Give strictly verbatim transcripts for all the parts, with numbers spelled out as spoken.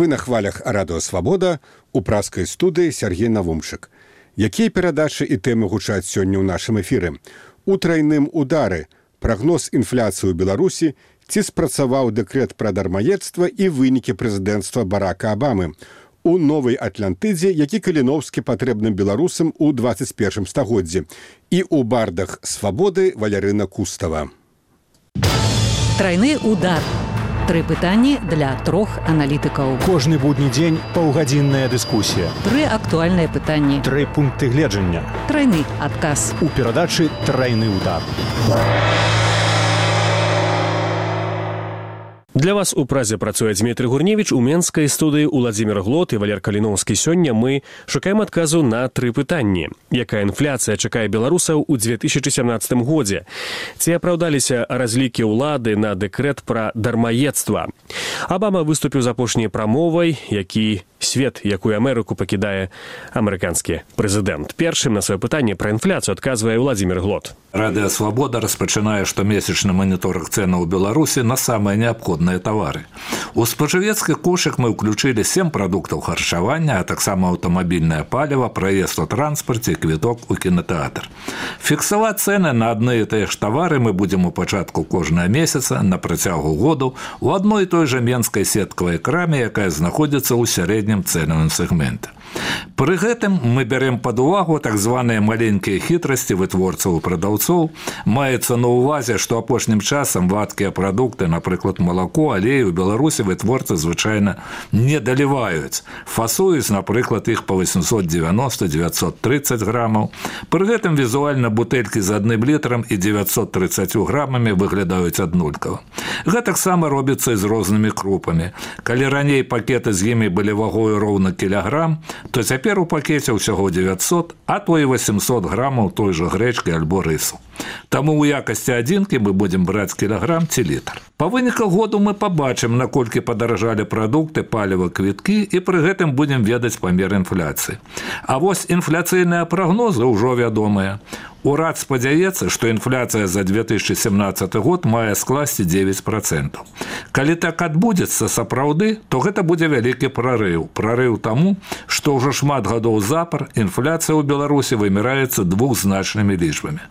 Вы на хвалях Радыё Свабода, у праскай студыі Сергей Навумчык. Якія перадачы і тэмы гучаць сёння ў нашым эфіры? У трайным удары, прагноз інфляцыі ў Беларусі, ці спрацаваў дэкрэт пра дармаедства і вынікі прэзідэнцтва Барака Абамы. У новай Атлантыдзе, які Каліноўскі патрэбным беларусам у двадцать першым стагоддзі. І ў бардах Свабоды Валярына Кустава. Трайны удар. Тры пытанні для трох аналітыкаў. Кожны будні дзень паўгадзінная дыскусія. Тры актуальныя пытанні. Тры пункты гледжання. Трайны адказ. У перадачы «Трайны удар». Для вас у празе працуе Дмітрый Гурневіч, у менскай студыі Уладзімір Глот і Валер Каліноўскі. Сёння мы шукаем адказу на тры пытанні. Якая інфляцыя чакае беларусаў у две тысячи семнадцатым годзе? Ці апраўдаліся разлікі ўлады на дэкрэт пра дармаедства? Абама выступіў з апошняй прамовай, які свет, якую Амерыку пакідае амерыканскі прэзідэнт. Першым на сваё пытанне пра інфляцыю адказвае Уладзімір Глот. Радыё Свабода распачынае штомесячны маніторинг цэнаў у Беларусі на самыя неабходныя тавары. У спажывецкі кошык мы ўключылі сем прадуктаў харчавання, а таксама аўтамабільнае паліва, праезд у транспарце і квіток у кінотэатр. Фіксаваць цэны на адны і тыя ж тавары мы будзем у пачатку кожнага месяца на працягу году у адной і той жа менскай сеткавай краме, якая знаходзіцца ў сярэднім цэнавым сегменте. Пры гэтым мы бярем пад увагу так званыя маленькія хітрасці вытворцаў і прадаўцоў. Маецца на ўвазе, што апошнім часам вадкія прадукты, напрыклад, малако, алей у Беларусі вытворцы звычайна не даліваюць. Фасуюць, напрыклад, іх па восемьсот девяносто - девятьсот тридцать грамаў. Пры гэтым візуальна бутэлькі з адным літрам і девятьсот тридцать грамамі выглядаюць аднолькава. Гэтаксама робіцца і з рознымі крупамі. Калі раней пакеты з імі былі вагою роўна кілаграм, то цяпер у пакеце ўсяго девятьсот, а то і восемьсот грамаў той жа грэчкі альбо рысу. Таму ў якасці адзінкі мы будзем браць кілаграм ці літр. Па выніках году мы пабачым, наколькі падаражалі прадукты, паліва, квіткі, і пры гэтым будзем ведаць памер інфляцыі. А вось інфляцыйныя прагнозы ўжо вядомыя. Урад спадзяецца, што інфляцыя за две тысячи семнадцаты год мае скласці дзевяць процентаў. Калі так адбудзецца сапраўды, то гэта будзе вялікі прарыў. Прарыў таму, што ўжо шмат гадоў запар інфляцыя ў Беларусі вымяраецца двухзначнымі лічбамі.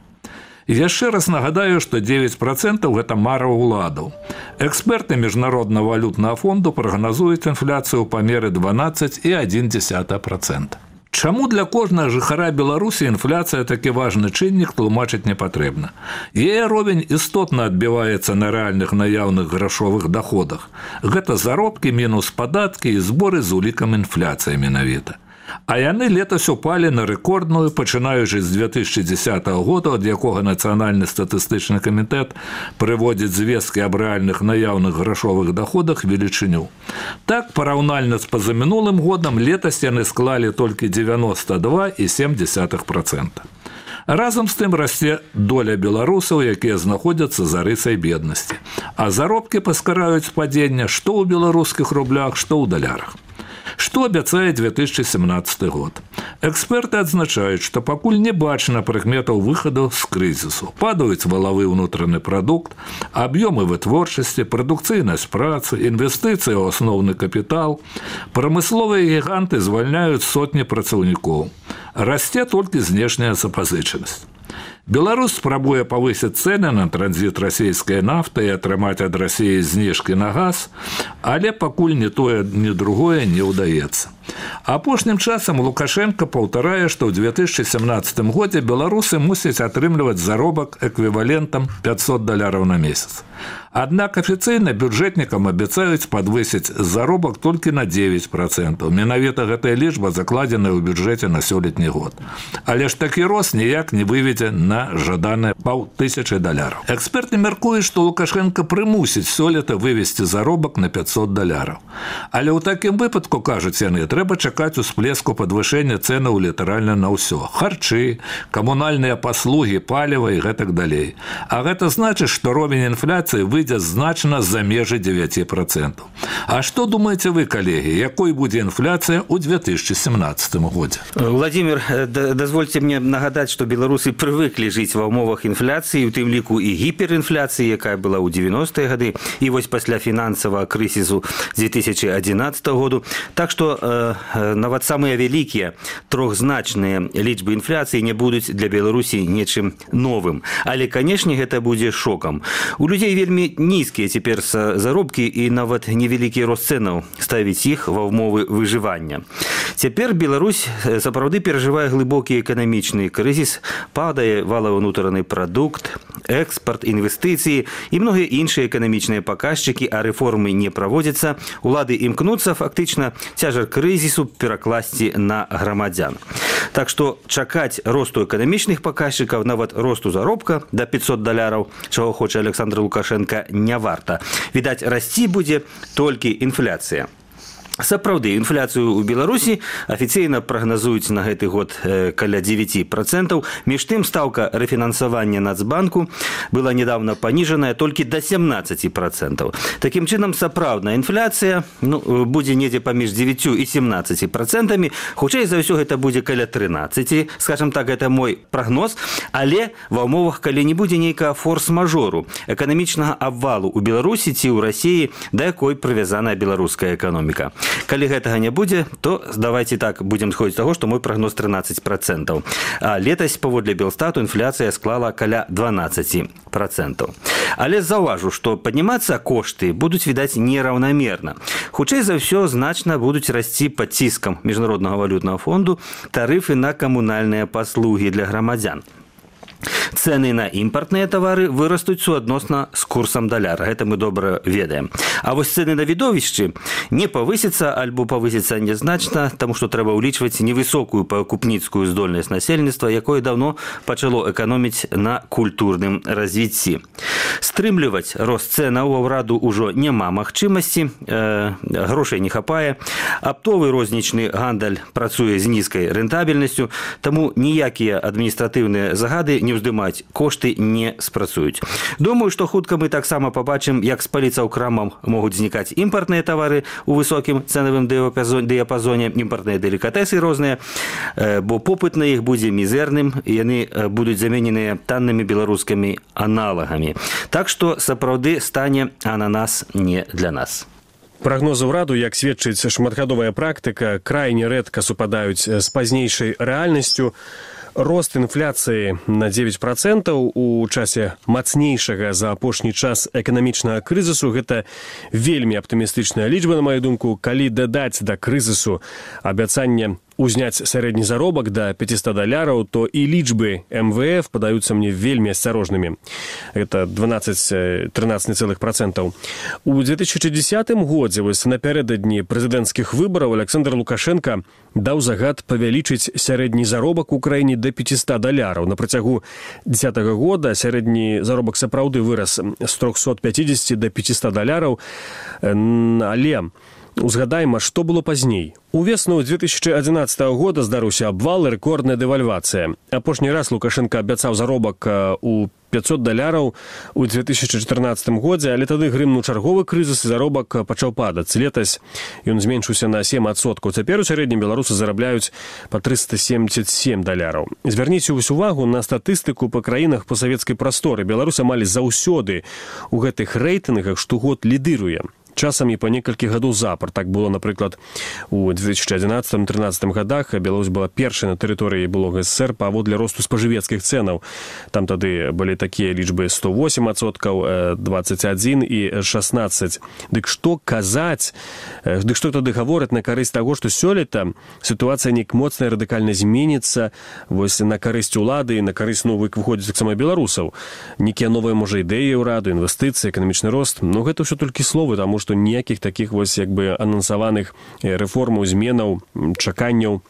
І яшчэ раз нагадаю, што дзевяць процентаў гэта мара ўладаў. Эксперты Міжнароднага валютнага фонду прагназуюць інфляцыю ў памеры дванаццаць і адна дзесятая процента. Чаму для кожнага жыхара Беларусі інфляцыя такі важны чыннік тлумачыць не патрэбна? Яе ровень істотна адбіваецца на рэальных наяўных грашовых даходах. Гэта заробкі мінус падаткі і зборы з улікам інфляцыі менавіта. А яны летась упалі на рэкордную, пачынаючы з две тысячи дзесятага года, ад якога Нацыянальны статыстычны камітэт прыводзіць звесткі аб рэальных наяўных грашовых даходах велічыню. Так, параўнальна з пазамінулым годам, летась яны склалі толькі девяносто два і сем дзесятых процента. Разам з тым расце доля беларусаў, якія знаходзяцца за рысай беднасці. А заробкі паскараюць падзення што ў беларускіх рублях, што ў далярах. Што абяцае две тысячи семнадцаты год? Эксперты адзначаюць, што пакуль не бачна прыкметаў выхаду з крызісу. Падаюць валавы ўнутраны прадукт, аб'ёмы вытворчасці, прадукцыйнасць працы, інвестыцыі ў асноўны капітал. Прамысловыя гіганты звальняюць сотні працаўнікоў. Расце толькі знешняя запазычанасць. Беларусь спрабуе павысіць цэны на транзіт расійскай нафты і атрымаць ад Расіі зніжкі на газ, але пакуль ні тое, ні другое не ўдаецца. Апошнім часам Лукашенко паўтарае, што ў две тысячи семнадцатым годзе беларусы мусяць атрымліваць заробак эквівалентам пятьсот даляраў на месяц. Аднак афіцыйна бюджэтнікам абяцаюць падвысіць заробак толькі на дзевяць процентаў. Менавіта гэтая лічба закладзеная ў бюджэце на сёлетні год. Але ж такі рост ніяк не выведзе на жаданыя паўтысячы даляраў. Эксперты мяркуюць, што Лукашенко прымусіць сёлета вывесці заробак на пятьсот даляраў. Але ў такім выпадку, кажуць яны, трэба чакаць усплеску падвышэння цэнаў літаральна на ўсё. Харчы, камунальныя паслугі, паліва і гэтак далей. А гэта значыць, што ровень інфляцыі выйдзе значна за межы девять процентов. А што думаеце вы, калегі, якой будзе інфляцыя ў две тысячи семнадцатым годзе? Владимир, дазвольце мне нагадаць, што беларусы прывыклі жыць ва ўмовах інфляцыі, у тым ліку і гіперінфляцыі, якая была ў девяностыя гады, і вось пасля фінансавага крызісу две тысячи одиннадцатого году. Так што э, нават самыя вялікія трохзначныя лічбы інфляцыі не будуць для Беларусі нечым новым. Але, канешне, гэта будзе шокам. У людзей вельмі нізкія цяпер заробкі і нават невялікі рост цэнаў ставіць іх ва ўмовы выжывання. Цяпер Беларусь сапраўды перажывае глыбокі эканамічны крызіс, падае валавы ўнутраны прадукт, экспорт, інвестыцыі і многія іншыя эканамічныя паказчыкі, а рэформы не праводзяцца. Улады імкнуцца фактычна цяжар крызісу перакласці на грамадзян. Так што чакаць росту эканамічных паказчыкаў, нават росту заробка да пятьсот даляраў, чаго хоча Александр Лукашенко, не варта. Відаць, расці будзе толькі інфляцыя. Сапраўды, інфляцыю ў Беларусі афіцыйна прагназуюць на гэты год каля девять процентов. Між тым, стаўка рэфінансавання Нацбанку была недавно паніжаная толькі да семнадцати процентов. Такім чынам, сапраўдная інфляцыя ну, будзе недзе паміж девятью і семнадцатью процентами. Хутчэй за ўсё гэта будзе каля тринадцати, скажем так, гэта мой прагноз, але ва ўмовах, калі не будзе нейкага форс-мажору, эканамічнага абвалу ў Беларусі ці ў Расіі, да якой прывязаная беларуская эканоміка. Калі гэтага не будзе, то давайте так будзем сходзіць з таго, што мой прагноз тринадцать процентов. А летась, паводле Белстату, інфляцыя склала каля двенадцать процентов. Але заўважу, што паднімацца кошты будуць, відаць, нераўнамерна. Хутчэй за ўсё, значна будуць расці пад ціскам Міжнароднага валютнага фонду тарыфы на камунальныя паслугі для грамадзян. Цэны на імпартныя тавары вырастуць суадносна з курсам даляра. Гэта мы добра ведаем. А вось цэны на відовішчы не павысяцца альбо павысяцца нязначна, таму што трэба ўлічваць невысокую пакупніцкую здольнасць насельніцтва, якое даўно пачало эканоміць на культурным развіцці. Стрымліваць рост цэнаў у ўраду ўжо няма магчымасці, э, грошай не хапае. Аптовы рознічны гандаль працуе з нізкай рэнтабельнасцю, таму ніякія адміністратыўныя загады не ўздымаць кошты не спрацуюць. Думаю, што хутка мы таксама пабачым, як з паліцаў крамам могуць знікаць імпартныя тавары у высокім цэнавым дыяпазоне, імпартныя делікатэсы розныя, бо попыт на іх будзе мізэрным, і яны будуць замененыя таннымі беларускімі аналагамі. Так што сапраўды стане ананас не для нас. Прагнозы ўраду, як сведчыць шматгадовая практыка, крайне рэдка супадаюць з пазнейшай рэальнасцю. Рост інфляцыі на девять процентов у часе мацнейшага за апошні час эканамічнага крызісу – гэта вельмі аптымістычная лічба, на маю думку. Калі дадаць да крызісу абяцанне узняць сярэдні заробак да пятьсот даляраў, то і лічбы эм вэ эф падаюцца мне вельмі асцярожнымі. Гэта двенадцать-тринадцать цэлых процентаў. У две тысячи десятым годзе, вось напярэдадні прэзідэнцкіх выбараў, Александр Лукашенко даў загад павялічыць сярэдні заробак у краіне да пятьсот даляраў. На працягу дзесятага года сярэдні заробак сапраўды вырас з трёхсот пятидесяти до пятисот даляраў, але узгадайма, што было пазней. У весну две тысячи одиннадцатого года здарыўся абвал і рэкордная дэвальвацыя. Апошні раз Лукашенко абяцаў заробак у пятьсот даляраў у две тысячи четырнадцатым годзе, але тады грымнуў чарговы крызіс і заробак пачаў падаць. Летась ён зменшыўся на семь адсоткаў. Цяпер у сярэднім беларусы зарабляюць па триста семьдесят семь даляраў. Звярніце ўвесь увагу на статыстыку па краінах постсавецкай прасторы. Беларусь амаль заўсёды у гэтых рэйтынгах штогод лідыруе. Часамі па некалькі гадоў запар. Так было, напрыклад, у две тысячи одиннадцатым-тринадцатым годах Беларусь была першай на тэрыторыі былога эс эс эс эр паводле росту спажывецкіх цэнаў. Там тады былі такія лічбы сто восемь адсоткаў, двадцать один і шестнадцать. Дык што казаць, дык што тады гавораць на карысць таго, што сёлета сітуацыя неяк моцна і радыкальна зменіцца, вось на карысць улады і на карысць новых выходзіць таксама беларусаў. Некія новыя, можа, ідэі ўраду, інвестыцыі, эканамічны рост. Но гэта ўсё толькі словы, таму што ніякіх такіх вось як бы анансаваных рэформаў, зменаў, чаканняў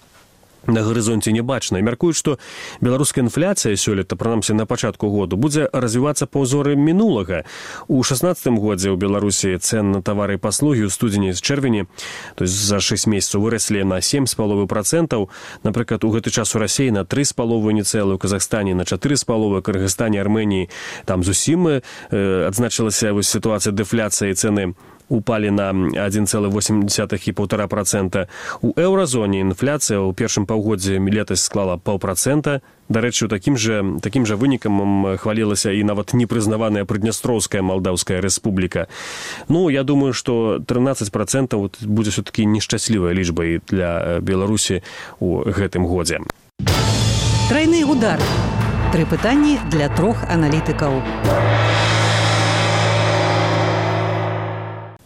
на гарызонце не бачна. Мяркуюць, што беларуская інфляцыя сёлета, прынамсі на пачатку году, будзе развівацца па ўзоры мінулага. У шаснаццатым годзе ў Беларусі цэн на тавары і паслугі ў студзені з чэрвені, то есть за шэсць месяцаў выраслі на сем з паловай працэнтаў. Напрыклад, у гэты час у Расіі на тры з паловай нецэлы, у Казахстане на чатыры з паловай, у Кыргызстане, Арменіі там зусім э, адзначылася вось сітуацыя дэфляцыі, цэны упали на адзін цэлы восем дзесятых і паўтара працэнта. У еўразоне інфляцыя ў першым паўгоддзі летась склала паўпрацэнта. Дарэчы, такім жа, такім жа вынікам хвалілася і нават непрызнаваная Прыднястроўская Малдаўская рэспубліка. Ну, я думаю, што трынаццаць працэнтаў будзе все-таки нешчаслівай лічбай для Беларусі ў гэтым годзе. Трайны удар. Тры пытанні для трох аналітыкаў.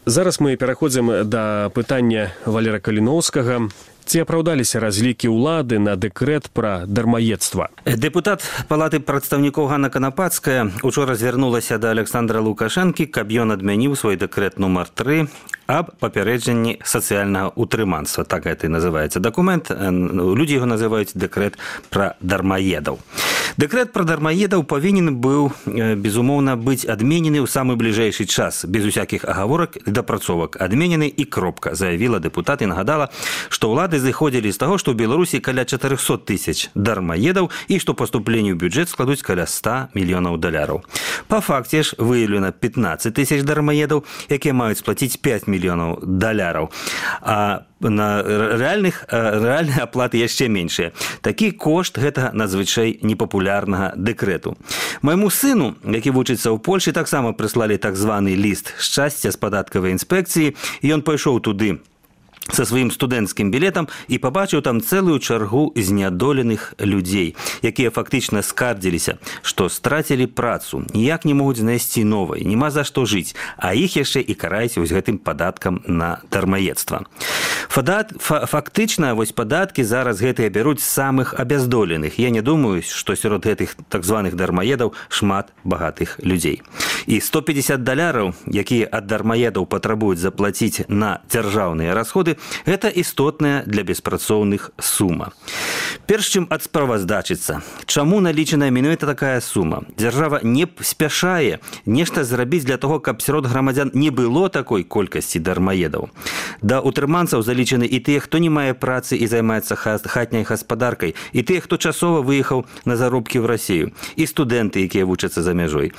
Зараз мы пераходзім да пытання Валера Каліноўскага. Ці апраўдаліся разлікі ўлады на дэкрэт пра дармаедства? Дэпутат Палаты прадстаўнікоў Ганна Канапацкая учора звярнулася да Александра Лукашэнкі, каб ён адмяніў свой дэкрэт нумар тры аб папярэджанні сацыяльнага утрыманства. Так гэта і называецца дакумент. Людзі яго называюць дэкрэт пра дармаедаў. Дэкрэт пра дармаедаў павінен быў, безумоўна, быць адменены ў самы бліжэйшы час, без усякіх агаворак і дапрацовак. Адменены і кропка, заявіла дэпутат і нагадала, што ўлады зыходзілі з таго, што ў Беларусі каля чатырохсот тысяч дармаедаў і што паступленні ў бюджэт складуць каля ста мільёнаў даляраў. Па факце ж выяўлена пятнаццаць тысяч дармаедаў, якія маюць сплаціць пяць мільёнаў даляраў. А на рэальных, рэальныя аплаты яшчэ меншыя. Такі кошт гэта надзвычай непапулярнага дэкрэту. Майму сыну, які вучыцца ў Польшы, таксама прыслалі так званы ліст шчасця з падаткавай інспекцыі, і ён пайшоў туды со сваім студэнцкім білетам і пабачыў там цэлую чаргу знядоленых людзей, якія фактычна скардзіліся, што страцілі працу, ніяк не могуць знайсці новай, нема за што жыць, а іх яшчэ і караюць вось гэтым падаткам на дармаедства. Фактычна вось падаткі зараз гэтыя бяруць самых абяздоленых. Я не думаю, што сярод гэтых так званых дармаедаў шмат багатых людзей. І сто пятьдесят даляраў, якія ад дармаедаў патрабуюць заплаціць на дзяржаўныя расходы, гэта істотная для беспрацоўных сума. Перш чым адсправаздачыцца, чаму налічаная менавіта такая сума? Дзяржава не спяшае нешта зрабіць для того, каб сярод грамадзян не было такой колькасці дармаедаў. Да утрыманцаў залічаны і тыя, хто не мае працы і займаецца хатняй гаспадаркай, і тыя, хто часова выехаў на заробкі ў Расію, і студэнты, якія вучацца за мяжой.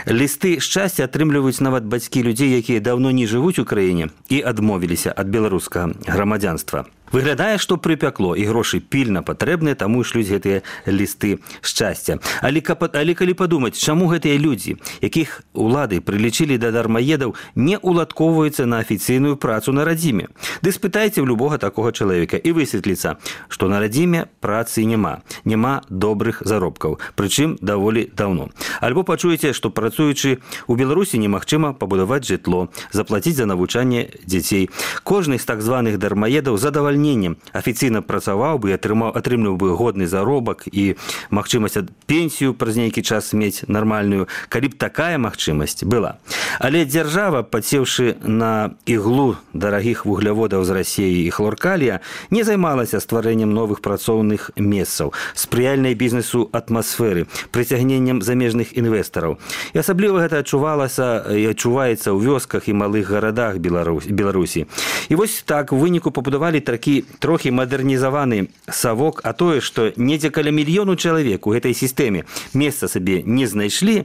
Лісты шчасця атрымліваюць нават бацькі людзей, якія даўно не жывуць у краіне і адмовіліся ад беларускага грамадзянства. Выглядае, што прыпякло, і грошы пільна патрэбныя, таму і шлюць гэтыя лісты шчасця. Але, але калі падумаць, чаму гэтыя людзі, якіх улады прылічылі да дармаедаў, не уладкоўваюцца на афіцыйную працу на радзіме? Ды спытайце ў любога такога чалавека, і высветліцца, што на радзіме працы няма, няма добрых заробкаў, прычым даволі даўно. Альбо пачуеце, што працуючы ў Беларусі немагчыма пабудаваць жытло, заплаціць за навучанне дзяцей. Кожны з так званых дармаедаў задавальняе афіцыйна працаваў бы і атрымліваў бы годны заробак і магчымасць пенсію праз нейкі час мець нармальную, калі б такая магчымасць была. Але дзяржава, падсеўшы на іглу дарагіх вугляводаў з Расіі і хлоркалія, не займалася стварэннем новых працоўных месцаў, спрыяльнай бізнесу атмасферы, прыцягненнем замежных інвестараў. І асабліва гэта адчувалася і адчуваецца ў вёсках і малых гарадах Беларусі. І вось так у выніку пабудавалі такі трохі мадэрнізаваны савок, а тое, што недзе каля мільёну чалавек у гэтай сістэме месца сабе не знайшлі,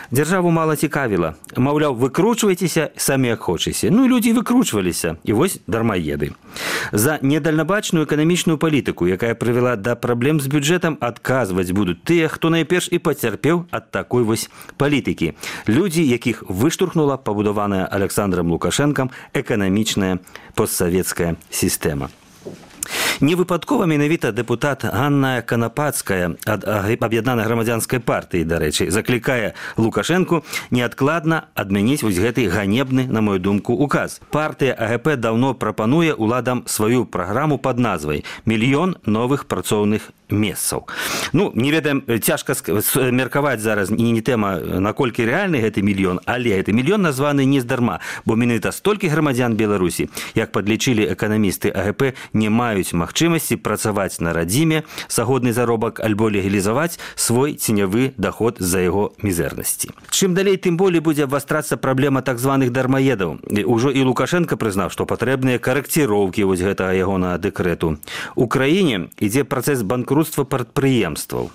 дзяржаву мала цікавіла. Маўляў, выкручвайцеся самі як хочаце. Ну, людзі выкручваліся, і вось дармаеды. За недальнабачную эканамічную палітыку, якая прывяла да праблем з бюджэтам, адказваць будуць тыя, хто найперш і пацярпеў ад такой вось палітыкі. Людзі, якіх выштурхнула пабудаваная Александром Лукашэнкам эканамічная постсавецкая сістэма. Невыпадкова менавіта дэпутат Ганна Канапацкая ад аб'яднанай грамадзянскай партыі, дарэчы, заклікае Лукашэнку неадкладна адмяніць вось гэты ганебны, на мою думку, указ. Партыя АГП даўно прапануе уладам сваю праграму пад назвай «Мільён новых працоўных месцаў. Ну, не ведаем, цяжка меркаваць зараз і не тэма, наколькі рэальны гэты мільён, але гэты мільён названы не здарма, бо менавіта столькі грамадзян Беларусі, як падлічылі эканамісты А Г П, не маюць магчымасці працаваць на радзіме за годны заробак альбо легалізаваць свой ценявы даход з-за яго мізэрнасці. Чым далей, тым болей будзе абвастрацца праблема так званых дармаедаў. Ужо і Лукашенко прызнаў, што патрэбныя карэкціроўкі вось гэтага ягонага дэкрэту. У краіне ідзе працэс банкрутства прадпрыемстваў.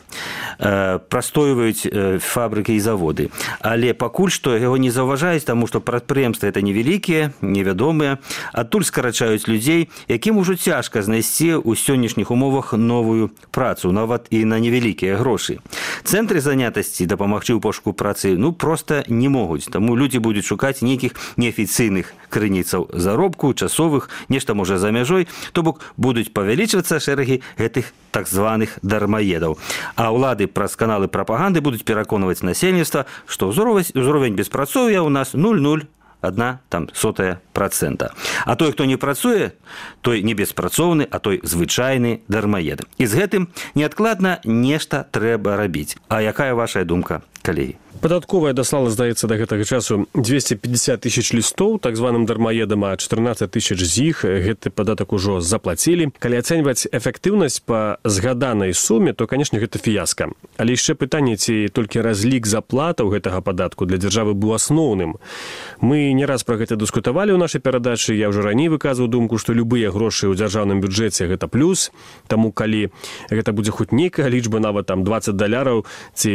Прастойваюць фабрыкі і заводы. Але пакуль што яго не заўважаюць, таму што прадпрыемствы это невялікія, невядомыя. Адтуль скарачаюць людзей, якім ужо цяжка знайсці ў сённяшніх умовах новую працу, нават і на невялікія грошы. Цэнтры занятасці дапамагчы ў пошуку працы ну проста не могуць, таму людзі будуць шукаць нейкіх неафіцыйных крыніцаў заробку, часовых, нешта можа за мяжой, то бок будуць павялічвацца шэрагі гэтых так званых дармаедаў. А ўлады праз каналы прапаганды будуць пераконваць насельніцтва, што ўзровень беспрацоўя ў нас нуль цалых адна сотая працэнта. А той, хто не працуе, той не беспрацоўны, а той звычайны дармаед. І з гэтым неадкладна нешта трэба рабіць. А якая ваша думка, калегі? Падатковая даслала, здаецца, да гэтага часу двести пятьдесят тысяч лістоў так званым дармаедам, а чатырнаццаць тысяч з іх гэты падатак ужо заплацілі. Калі ацэньваць эфектыўнасць па згаданай суме, то, канешне, гэта фіяска. Але яшчэ пытанне, ці толькі разлік заплатаў гэтага падатку для дзяржавы быў асноўным. Мы не раз пра гэта дыскутавалі ў нашай перадачы. Я ўжо раней выказваў думку, што любыя грошы ў дзяржаўным бюджэце гэта плюс. Таму калі гэта будзе хоць нейкая лічба, нават там двадцать даляраў ці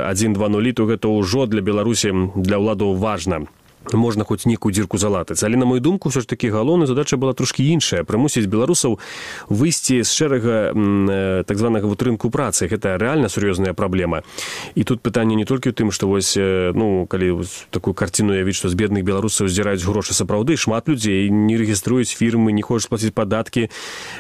адзін два нулі, то гэта ўжо для Беларусі, для ўладаў важна. Можна хоць нейкую дзірку залатаць. Але, на мою думку, ўсё ж такі галоўная задача была трошкі іншая. Прымусіць беларусаў выйсці з шэрага так званага вот рынку працы. Гэта рэальна сур'ёзная праблема. І тут пытанне не толькі ў тым, што вось, ну, калі такую карціну явіць, што з бедных беларусаў здзіраюць грошы сапраўды, шмат людзей не рэгіструюць фірмы, не хочуць плаціць падаткі,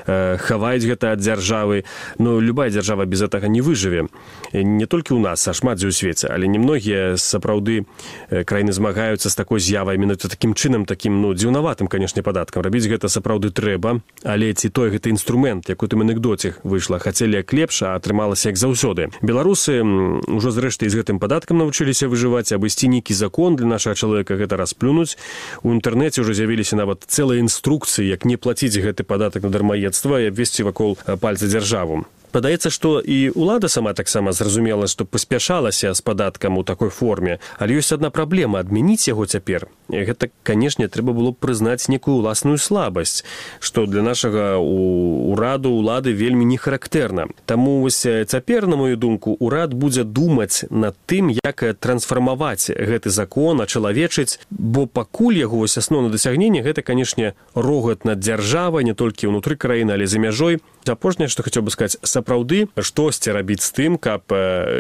хаваюць гэта ад дзяржавы. Ну, любая дзяржава без гэтага не выжыве. Не толькі ў нас, а шмат дзе ў свеце. Але немногія сапраўды краіны змагаюцца з такой з'явай, менавіта такім чынам, такім, ну, дзіўнаватым, канешне, падаткам. Рабіць гэта сапраўды трэба, але ці той гэты інструмент, як у тым анекдоце выйшла, хацелі як лепш, а атрымалася як заўсёды. Беларусы ўжо зрэшты з гэтым падаткам навучыліся выжываць, абысці нейкі закон для нашага чалавека гэта расплюнуць. У інтэрнэце ўжо з'явіліся нават цэлыя інструкцыі, як не плаціць гэты падатак на дармаедства і абвесці вакол пальца дзяржаву. Падаецца, што і ўлада сама таксама зразумела, што паспяшалася з падаткам у такой форме, але ёсць адна праблема — адмяніць яго цяпер. І гэта, канешне, трэба было б прызнаць некую ўласную слабасць, што для нашага ўраду, улады вельмі не характэрна. Таму вось цяпер, на мою думку, урад будзе думаць над тым, як трансфармаваць гэты закон, ачалавечыць, бо пакуль яго вось асноўнае дасягненне — гэта, канешне, рогат над дзяржавай, не толькі ўнутры краіны, але за мяжой. Апошняе, што хацеў бы сказаць, сапраўды штосьці рабіць з тым, каб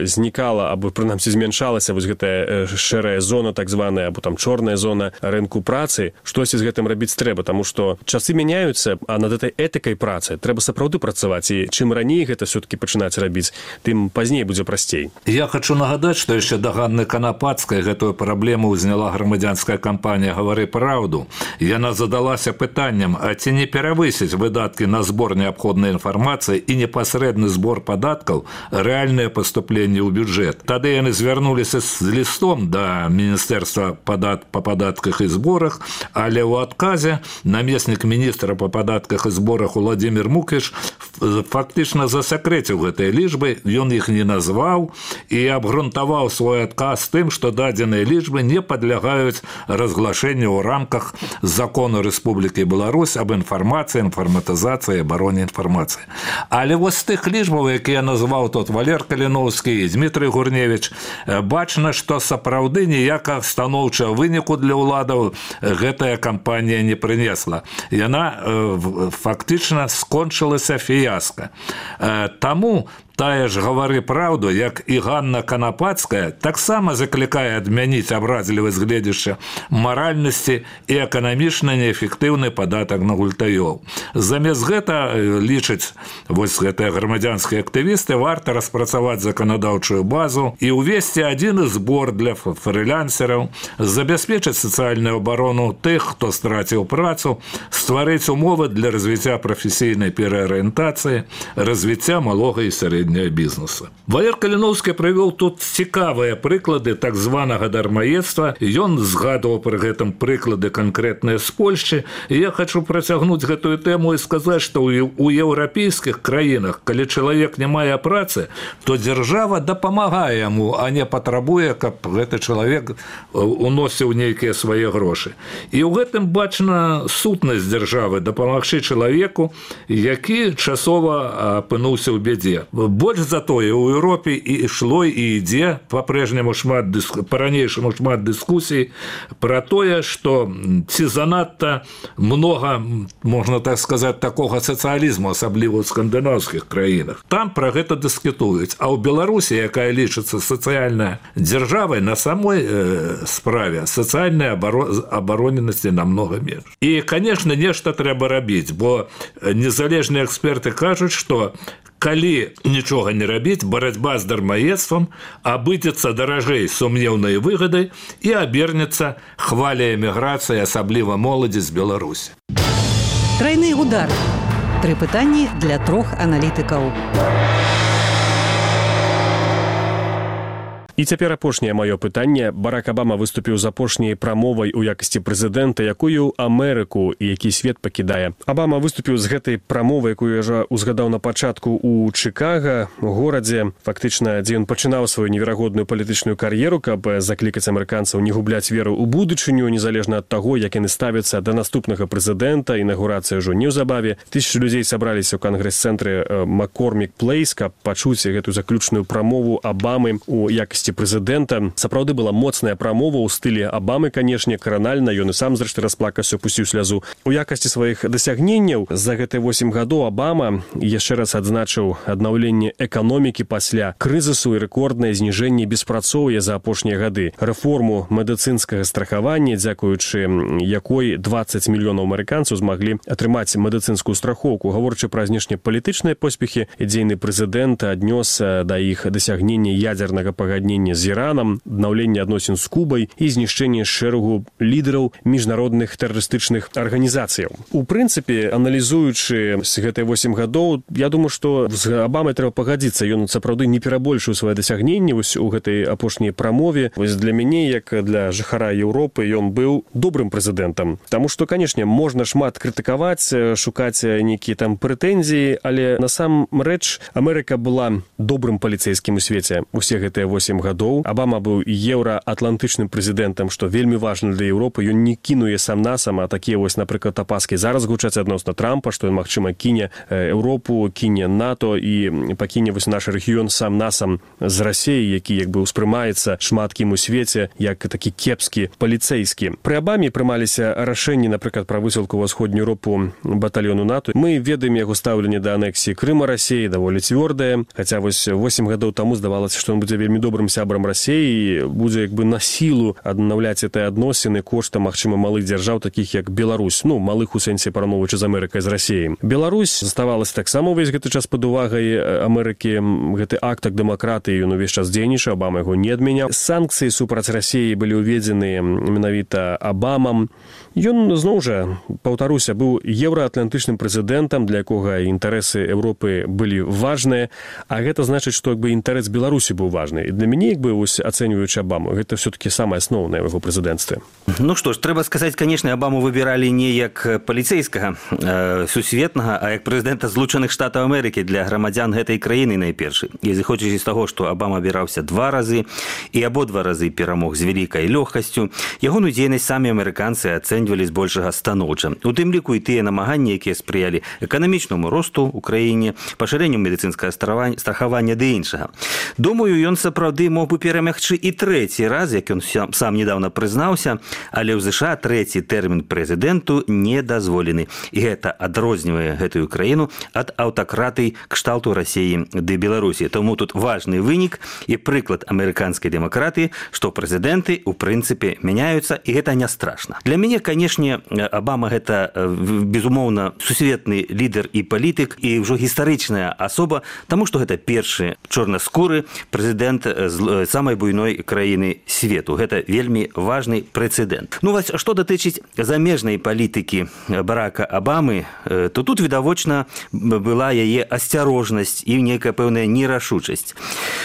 знікала або прынамсі змяншалася вось гэтая шэрая зона, так званая, або там чорная зона рынку працы. Штосьці з гэтым рабіць трэба, таму што часы мяняюцца, а над этой этыкай працы трэба сапраўды працаваць. І чым раней гэта все-таки пачынаць рабіць, тым пазней будзе прасцей. Я хочу нагадаць, што яшчэ да Ганны Канапацкай гэтую праблему ўзняла грамадзянская кампанія «Гавары праўду». Яна задалася пытаннем, а ці не перавысіць выдаткі на збор неабходнай информации и непосредственный сбор податков, реальное поступление в бюджет. Тогда они звярнулись с листом до Министерства подат по податках и сборах, але в отказе наместник министра по податках и сборах Владимир Мукиш фактично засекретил этой лічбы, он их не назвал и обґрунтовал свой отказ тем, что даденные лічбы не подлягают разглашению в рамках закона Республики Беларусь об информации, информатизации и обороне информации. Але вот з тих лічбаў, які я назваў тут Валер Каліновскі і Дмітрий Гурневич, бачна, што сапраўды ніякага станоўчага выніку для ўладаў гэтая кампанія не прынесла. Яна фактычна скончылася фіяска. Таму Тая ж «Гавары праўду», як і Ганна Канапацкая, таксама заклікае адмяніць абразлівасць гледзяшча маральнасці і эканамічна неэфектыўны падатак на гультаёў. Замест гэта, лічаць вось гэтыя грамадзянскія актывісты, варта распрацаваць заканадаўчую базу і ўвесці адзіны збор для фрылансераў, забяспечыць сацыяльную абарону тых, хто страціў працу, стварыць умовы для развіцця прафесійнай пераарыентацыі, развіцця малога і сярэдняга бізнеса. Валер Каліноўскі прывёў тут цікавыя прыклады так званага дармаедства. Ён згадваў пры гэтым прыклады канкрэтныя з Польшчы. І я хочу працягнуць гэтую тэму і сказаць, што ў еўрапейскіх краінах, калі чалавек не мае працы, то дзяржава дапамагае яму, а не патрабуе, каб гэты чалавек уносіў нейкія свае грошы. І ў гэтым бачна сутнасць дзяржавы дапамагчы чалавеку, які часова апынуўся ў бядзе. Больш за тое, у Еўропе і ішло і ідзе па-прэжняму шмат дыску... па-ранейшаму шмат дыскусій пра тое, што ці занадта многа, можна так сказаць, такога сацыялізму, асабліва ў скандынаўскіх краінах. Там пра гэта дыскутуюць. А ў Беларусі, якая лічыцца сацыяльная дзяржавай, на самой э, справе сацыяльнай абаро... абароненасці намнога менш. І, конечно, нешта трэба рабіць, бо незалежныя эксперты кажуць, што калі нічога не рабіць, барацьба з дармаедствам абыдзецца даражэй сумнеўнай выгадай і абернецца хваляй эміграцыі, асабліва моладзі з Беларусі. Трайны удар. Тры пытанні для трох аналітыкаў. І цяпер апошняе маё пытанне. Барак Абама выступіў з апошняй прамовай у якасці прэзідэнта, якую Амерыку і які свет пакідае. Абама выступіў з гэтай прамовай, якую я жа узгадаў на пачатку у Чыкага, горадзе, фактычна, дзе ён пачынаў сваю неверагодную палітычную кар'еру, каб заклікаць амерыканцаў не губляць веру ў будучыню, незалежна ад таго, як яны ставяцца да наступнага прэзідэнта. Інаўгурацыя ўжо неўзабаве. Тысячы людзей сабраліся ў кангрэс-цэнтры Маккормік Плейс, каб пачуць гэту заключную прамову Абамы у якасці прэзідэнта. Сапраўды была моцная прамова ў стылі Абамы, канешне, кранальна. Ён і сам, зрэшты, расплакаўся, пусціў слязу. У якасці сваіх дасягненняў за гэтыя восем гадоў Абама яшчэ раз адзначыў аднаўленне эканомікі пасля крызісу і рэкорднае зніжэнне беспрацоўя за апошнія гады, рэформу медыцынскага страхавання, дзякуючы якой дваццаць мільёнаў амерыканцаў змаглі атрымаць медыцынскую страхоўку. Гаворачы пра знешнепалітычныя поспехі, дзейны прэзідэнт аднёс да іх дасягнення ядзернага пагаднення з Іранам, аднаўленне адносін з Кубай і знішчэнне шэрагу лідараў міжнародных тэрарыстычных арганізацыяў. У прынцыпе, аналізуючы з гэтыя восем гадоў, я думаю, што з Абамай трэба пагадзіцца. Ён сапраўды не перабольшыў свае дасягненні вось у гэтай апошняй прамове. Вось для мяне, як для жыхара Еўропы, ён быў добрым прэзідэнтам. Таму што, канешне, можна шмат крытыкаваць, шукаць нейкія там прэтэнзіі, але насамрэч Амерыка была добрым паліцэйскім у свеце усе гэтыя восем гадоў. Абама быў еўраатлантычным прэзідэнтам, што вельмі важна для Еўропы. Ён не кінуе сам-насам, а такія вось, напрыклад, апаскі зараз гучаць адносна Трампа, што ён, магчыма, кіне Еўропу, кіне НАТО і пакіне вось наш рэгіён сам-насам з Расіяй, які як бы ўспрымаецца шмат кім у свеце як такі кепскі паліцэйскі. Пры Абаме прымаліся рашэнні, напрыклад, пра высылку ва ўсходнюю Еўропу батальёну НАТО. Мы ведаем яго стаўленне да анексіі Крыма Расіі, даволі цвёрдае, хаця вось восем гадоў таму здавалася, што ён будзе вельмі добрым сябрам Расіі, будзе як бы на сілу аднаўляць гэтыя адносіны коштам, магчыма, малых дзяржаў, такіх як Беларусь, ну, малых у сэнсе параўноўваючы з Амерыкай, з Расіяй. Беларусь заставалася таксама ўвесь гэты час пад увагай Амерыкі. Гэты актак дэмакратыі ён увесь час дзейнічаў, Абама яго не адмяняў. Санкцыі супраць Расіі былі ўведзены менавіта Абамам. Ён, зноў жа, паўтаруся, быў еўраатлантычным прэзідэнтам, для якога інтарэсы Еўропы былі важныя, а гэта значыць, што як бы інтарэс Беларусі быў важны. І для мяне, як бы, вось, ацэньваючы Абаму, гэта все-таки самае асноўнае ў яго прэзідэнцтве. Ну што ж, трэба сказаць, канешне, Абаму выбіралі не як паліцэйскага э, сусветнага, а як прэзідэнта Злучаных Штатаў Амерыкі для грамадзян гэтай краіны найпершы. І зыходзячы з таго, што Абама абіраўся два разы і абодва разы перамог з вялікай лёгкасцю, ягоную дзейнасць самі амерыканцы ацэньвалі збольшага станоўча. У тым ліку і тыя намаганні, якія спрыялі эканамічнаму росту ў краіне, пашырэнню медыцынскага страхавання ды іншага. Думаю, ён сапраўды тэорыі мог бы перамягчы і трэці раз, як ён сам недавно прызнаўся, але ў ЗША трэці тэрмін прэзідэнту не дазволены. І гэта адрознівае гэтую краіну ад аўтакратый кшталту Расіі ды Беларусі. Таму тут важны вынік і прыклад амерыканскай дэмакратыі, што прэзідэнты ў прынцыпе мяняюцца, і гэта не страшна. Для мяне, канешне, Абама гэта, безумоўна, сусветны лідар і палітык, і ўжо гістарычная асоба, таму што гэта першы чорнаскуры прэзідэнт з самай буйной краіны свету. Гэта вельмі важны прэцэдэнт. Ну, вось, што датычыць замежнай палітыкі Барака Абамы, то тут відавочна была яе асцярожнасць і нейкая пэўная нерашучасць.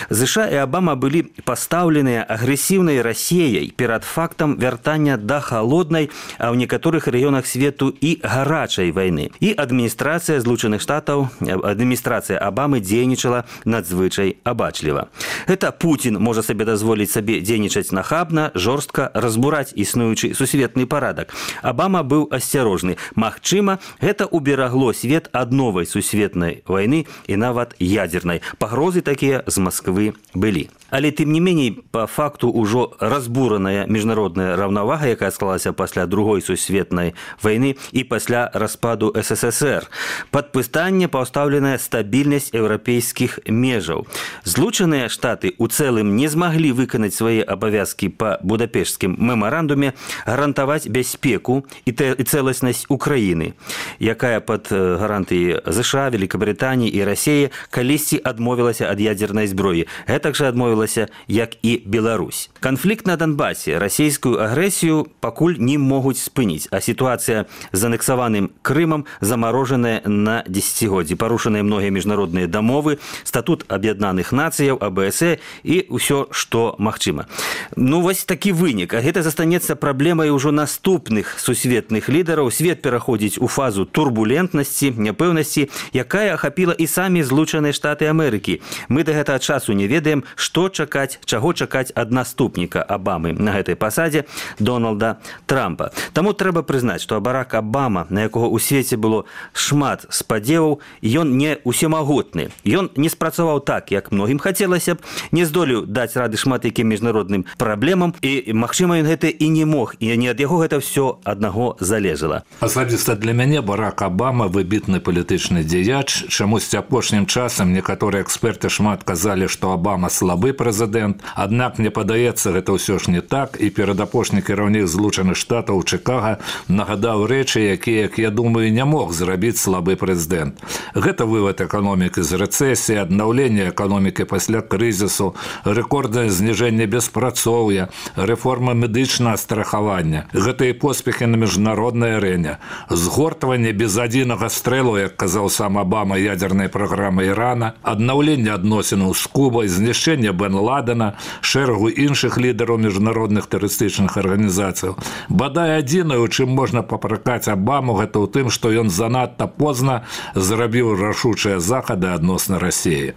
ЗША і Абама былі пастаўленыя агрэсіўнай Расіяй перад фактам вяртання да халоднай, а ў некаторых рэгіёнах свету і гарачай вайны. І адміністрацыя Злучаных Штатаў, адміністрацыя Абамы дзейнічала надзвычай абачліва. Гэта Путін можа сабе дазволіць сабе дзейнічаць нахабна, жорстка, разбураць існуючы сусветны парадак. Абама быў асцярожны. Магчыма, гэта уберагло свет ад новай сусветнай вайны і нават ядзернай. Пагрозы такія з Масквы былі. Але тым не меней, па факту ўжо разбураная міжнародная раўнавага, якая склалася пасля другой сусветнай вайны і пасля распаду СССР. Пад пытанне пастаўленая стабільнасць еўрапейскіх межаў. Злучаныя Штаты ў цэлым не змаглі выканаць свае абавязкі па Будапешцкім мемарандуме гарантаваць бяспеку і цэласнасць Украіны, якая пад гарантыяй ЗША, Великабрытаніі і Расіі калісьці адмовілася ад ядзернай зброі. Гэтак жа адмовілася, як і Беларусь. Канфлікт на Донбасе, расійскую агрэсію пакуль не могуць спыніць, а сітуацыя з анексаваным Крымам замарожаная на дзесяцігоддзі. Парушаныя многія міжнародныя дамовы, статут Аб'яднаных Нацыяў, АБС і ўсё, што магчыма. Ну, вось такі вынік. А гэта застанецца праблемай ужо наступных сусветных лідараў. Свет пераходзіць у фазу турбулентнасці, няпэўнасці, якая ахапіла і самі Злучаныя Штаты Амерыкі. Мы да гэтага часу не ведаем, што чакаць, чаго чакаць ад наступніка Абамы на гэтай пасадзе Дональда Трампа. Таму трэба прызнаць, што Барак Абама, на якога ў свеце было шмат спадзеваў, ён не усемагутны. Ён не спрацаваў так, як многім хацелася б, не здолеў даць рады шмат якім міжнародным праблемам, і, магчыма, ён гэта і не мог, і не ад яго гэта ўсё аднаго залежала. Асабіста для мяне Барак Абама выбітны палітычны дзеяч. Чамусьці апошнім часам некаторыя эксперты шмат казалі, што Абама слабы прэзідэнт, аднак мне падаецца, гэта ўсё ж не так, і перадапошні кіраўнік Злучаных Штатаў у Чыкага нагадаў рэчы, якія, як я думаю, не мог зрабіць слабы прэзідэнт. Гэта вывад эканомікі з рэцэсіі, аднаўленне эканомікі пасля крызісу, рэкорднае зніжэнне беспрацоўя, рэформа медычнага страхавання. Гэта і поспехі на міжнароднай арэне, згортванне без адзінага стрэлу, як казаў сам Абама, ядзернай праграмы Ірана, аднаўленне адносінаў з Кубай, знішчэнне Бен Ладена, шэрагу іншых лідараў міжнародных тэрарыстычных арганізацыяў. Бадай адзінае, у чым можна папракаць Абаму, гэта ў тым, што ён занадта позна зрабіў рашучыя захады адносна Расіі.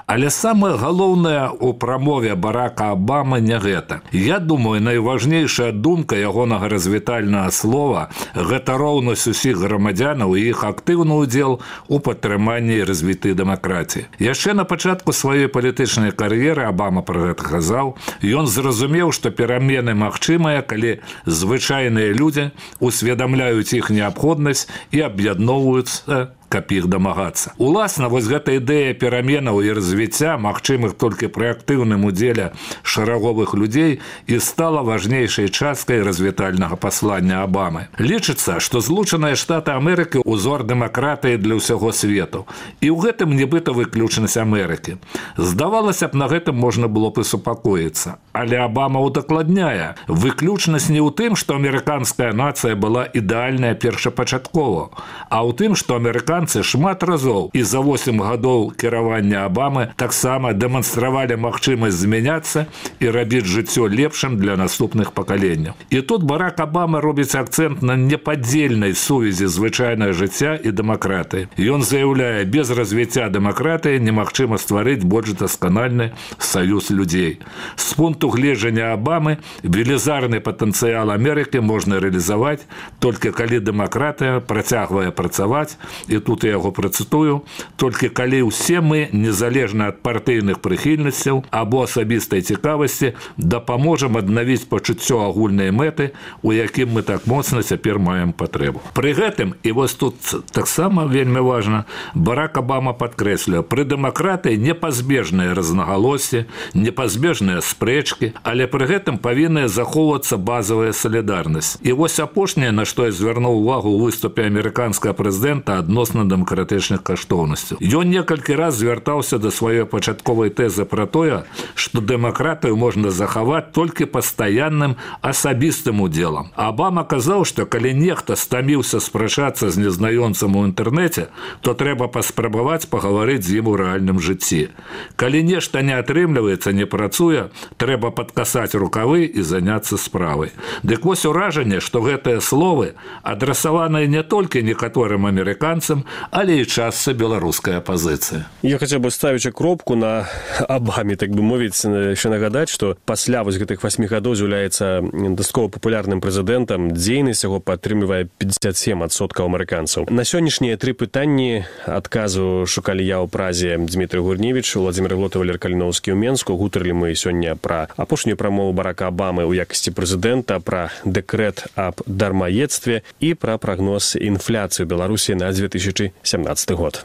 Але самае галоўнае ў прамове Барака Абамы не гэта. Я думаю, найважнейшая думка ягонага развітальнага слова – гэта роўнасць усіх грамадзянаў і іх актыўны ўдзел у падтрыманні і развіты дэмакратіі. Яшчэ на пачатку сваёй палітычнай кар'еры Абама пра гэта казаў, ён зразумеў, што перамены магчымыя, калі звычайныя людзі усведамляюць іх неабходнасць і аб'ядноўваюцца, каб іх дамагацца. Уласна, вось гэта ідэя пераменаў і развіцця, магчымых толькі пры актыўным удзеле шараговых людзей, і стала важнейшай часткай развітальнага паслання Абамы. Лічыцца, што Злучаныя Штаты Амерыкі – узор дэмакратыі для ўсяго свету. І ў гэтым нібыта выключнасць Амерыкі. Здавалася б, на гэтым можна было б і супакоіцца. Але Абама удакладняе, выключнасць не ў тым, што амерыканская нацыя была ідэальная першапачаткова, а ў тым, што амерыканцы шмат разоў і за восем гадоў кіравання Абамы таксама дэманстравалі магчымасць змяняцца і рабіць жыццё лепшым для наступных пакаленняў. І тут Барак Абама робіць акцэнт на непадзельнай сувязі звычайнага жыцця і дэмакратыі. Ён заяўляе, без развіцця дэмакратыі немагчыма стварыць больш дасканальны саюз людзей. З пункту гледжання Абамы велізарны патэнцыял Амерыкі можна рэалізаваць толькі калі дэмакратыя працягвае працаваць, і тут тут я яго працытую, толькі калі ўсе мы, незалежна ад партыйных прыхільнасцяў або асабістай цікавасці, дапаможам аднавіць пачуццё агульнай мэты, у якім мы так моцна цяпер маем патрэбу. Пры гэтым, і вось тут таксама вельмі важна, Барак Абама падкрэсліў, пры дэмакратыі непазбежныя рознагалоссі, непазбежныя спрэчкі, але пры гэтым павінная захоўвацца базавая салідарнасць. І вось апошняе, на што я звярнуў увагу ў выступе амерыканскага прэзідэнта адносна дэмакратычных каштоўнасцяў. Ён некалькі раз звяртаўся да сваёй пачатковай тэзы пра тое, што дэмакратыю можна захаваць толькі пастаянным асабістым удзелам. Абама казаў, што калі нехта стаміўся спрачацца з незнаёмцам у інтэрнэце, то трэба паспрабаваць пагаварыць з ім у рэальным жыцці. Калі нешта не атрымліваецца, не працуе, трэба падкасаць рукавы і заняцца справай. Дык вось уражанне, што гэтыя словы адрасаваныя не толькі некаторым амерыканцам, але і частцы беларускай апазіцыі. Я хацеў бы ставіць кропку на Абаме, так бы мовіць, яшчэ нагадаць, што пасля вось гэтых васьмі гадоў з'яўляецца дастаткова папулярным прэзідэнтам, дзейнасць яго падтрымлівае пятьдесят семь адсоткаў амерыканцаў. На сённяшнія тры пытанні адказу шукалі я ў празе Дмітрый Гурневіч, Владзімір Глот і Валер Каліноўскі ў Менску. Гутарылі мы сёння пра апошнюю прамову Барака Абамы ў якасці прэзідэнта, пра дэкрэт аб дармаедстве і пра прагноз інфляцыі Беларусі на две тысячи семнадцатый год.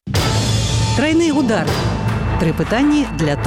Тройны удар. Тры пытанні для